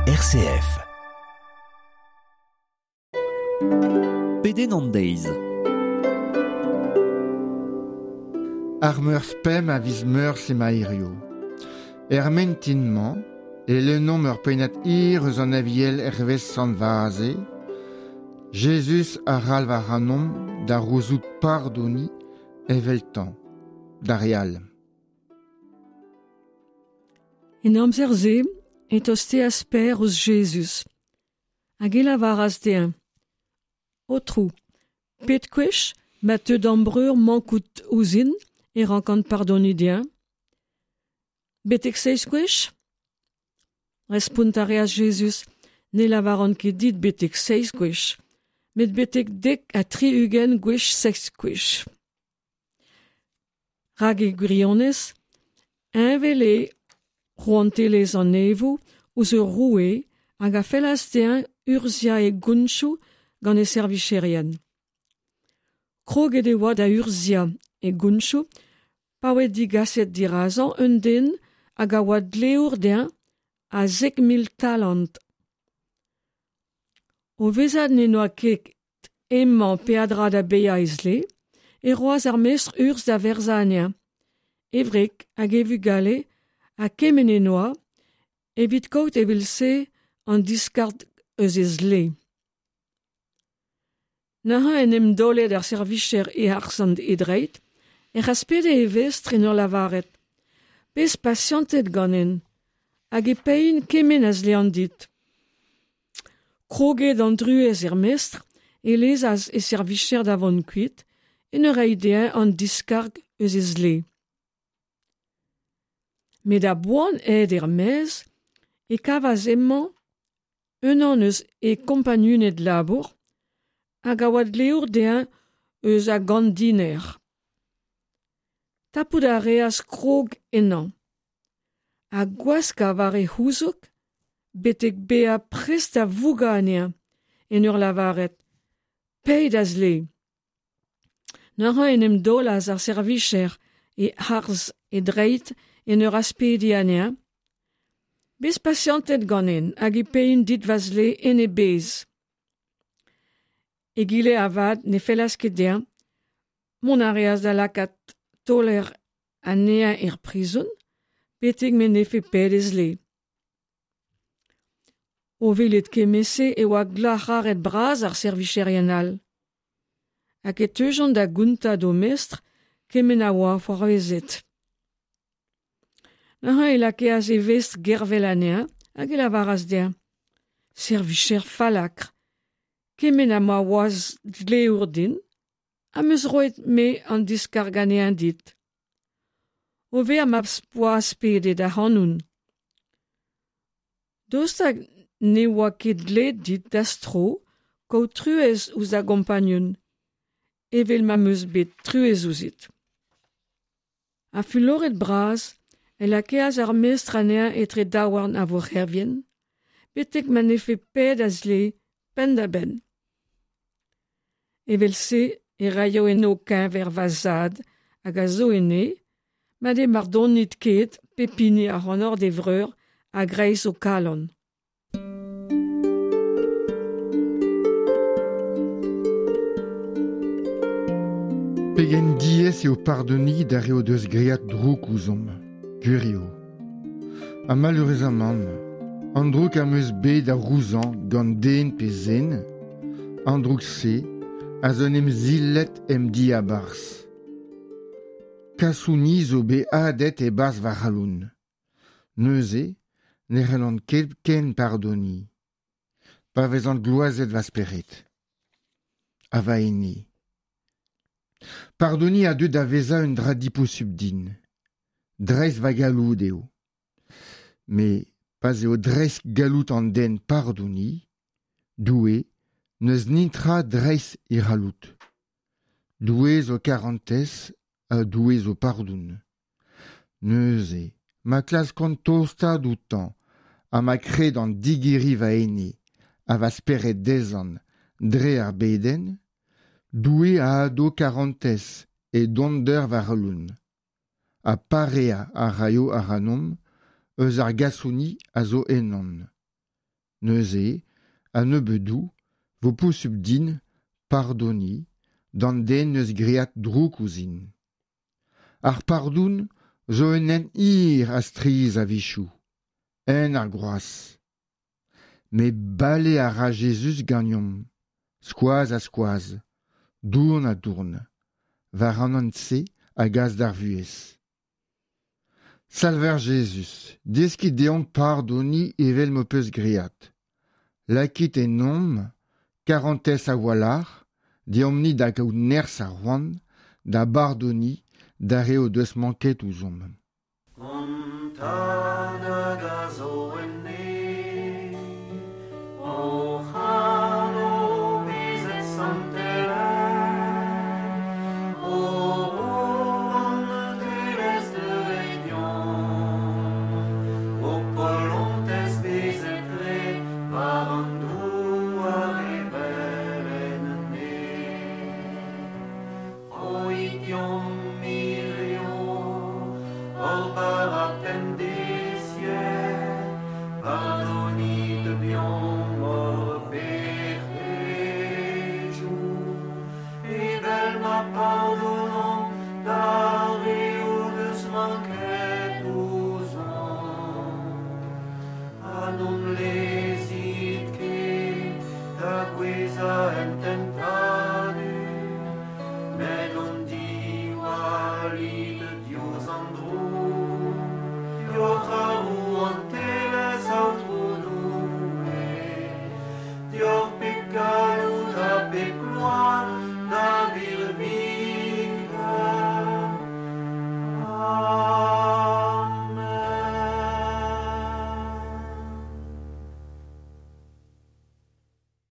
RCF. Pedenn an deiz. Ar meurzh pemp a viz Meurzh emañ hiziv. Er mintin-mañ e lennomp ur pennad hir eus an Aviel hervez Sant Vaze. Jezuz a c'halv ac'hanomp da c'houzout pardoniñ eveltañ d'ar re all. En amzer-se e tosteas Pêr ouzh Jezuz hag e lavaras dezhañ: Aotrou, pet gwech ma teu da'm breur mankout ouzhin e rankan pardoniñ dezhañ? Betek seizh gwech? Respont a reas Jezuz: Ne lavaran ket dit betek seizh gwech, met betek 70 gwech seizh gwech. Rak e gwirionez, heñvel eo rouantelezh an neñvoù ouzh ur roue hag a fellas dezhañ urzhiañ e gontoù gant e servijerien. Kroget e oa da urzhiañ e gontoù pa oa degaset dirazañ un den hag a oa dleour dezhañ a 10,000 talant. O vezañ n'en doa ket hemañ peadra da baeañ e zle, e roas ar mestr urzh da werzhañ anezhañ, e wreg hag e vugale ha kement en doa, evit kaout evel-se an diskarg eus e zle. Neuze en em daolet ar servijer e-harz an e dreid, ec'h aspede e vestr en ur lavaret: Bez pasianted ganen, hag e paein kement a zlean dit. Kroget an druez er mestr, e lezas e servijer da vont kuit, en ur reiñ dezhañ an diskarg eus e zle. Met a-boan aet er-maez e kavas hemañ unan eus e kompagnuned labour hag a oa dleour dezhañ eus a gant diner. Tapout a reas krog ennañ ha gwaskañ war e c'houzoug betek bezañ prest da vougañ anezhañ en ur lavaret: Pae da zle. Neuze en em daolas ar servijer e-harz e dreid en ur aspediñ anezhañ: Bez pasianted ganen hag e paein dit va zle en e bezh. Egile avat ne fellas ket dezhañ, mont a reas da lakaat taoler anezhañ er prizon betek m'en defe paeet e zle. O welet kement-se e oa glac'haret bras ar servijerien all. Hag e teujont da gontañ d'o mestr kement a oa c'hoarvezet. Neuze e lakaas e vestr gervel anezhañ hag e lavaras dezhañ: Servijer fallakr, kement ha ma oas dleour din, am eus roet me an diskarg anezhañ dit. O vezañ ma 'z poa aspedet ac'hanon. Daoust hag ne oa ket dleet dit da'z tro kaout truez ouzh da gompagnun, evel ma 'm eus bet truez ouzhit. Ha fuloret bras e lakaas ar mestr anezhañ etre daouarn ar vourc'hervien, betek ma 'nefe paeet a zle penn-da-benn. Evel-se e raio en ho keñver va zad hag a zo en neñv, ma ne bardonit ket pep hini ac'hanoc'h d'e vreur a-greiz ho kalon. Pegen diaes eo pardoniñ d'ar re o deus graet droug ouzhomp, gwir eo. Ha maleürezamant, an droug am eus bet da gouzañv gant den pe zen, an droug-se a zo en em silet em diabarzh. Kasoni zo bet hadet e-barzh va c'halon. Neuze ne c'hellan ket ken pardoniñ, pa vezan gloazet va spered ha va ene. Pardoniñ a deu da vezañ un dra diposubl din. Dreist va galloud eo. Met pa'z eo dreist galloud an den pardoniñ, Doue n'eus netra dreist e c'halloud. Doue zo karantez ha Doue zo pardon. Neuze, ma klaskan tostaat outañ ha ma kredan digeriñ va ene ha va spered dezhañ dre ar bedenn, Doue a ado karantez e donder va c'halon ha pareañ a raio ac'hanomp eus ar gasoni a zo ennon. Neuze, a-nebeudou, vo posubl din pardoniñ d'an den 'neus graet droug ouzhin. Ar pardon zo un hent hir ha strizh a-wechoù, hent ar groaz. Met bale a ra Jezuz ganeomp, skoaz ha skoaz, dourn ha dourn, war an hent-se a gas d'ar vuhez. Salver Jezuz, deskit deomp pardoniñ evel m'ho peus graet. Lakit ennomp karantez a-walc'h, deomp-ni da gaout nerzh ha c'hoant da bardoniñ d'ar re o deus manket ouzhomp. An tad hag a zo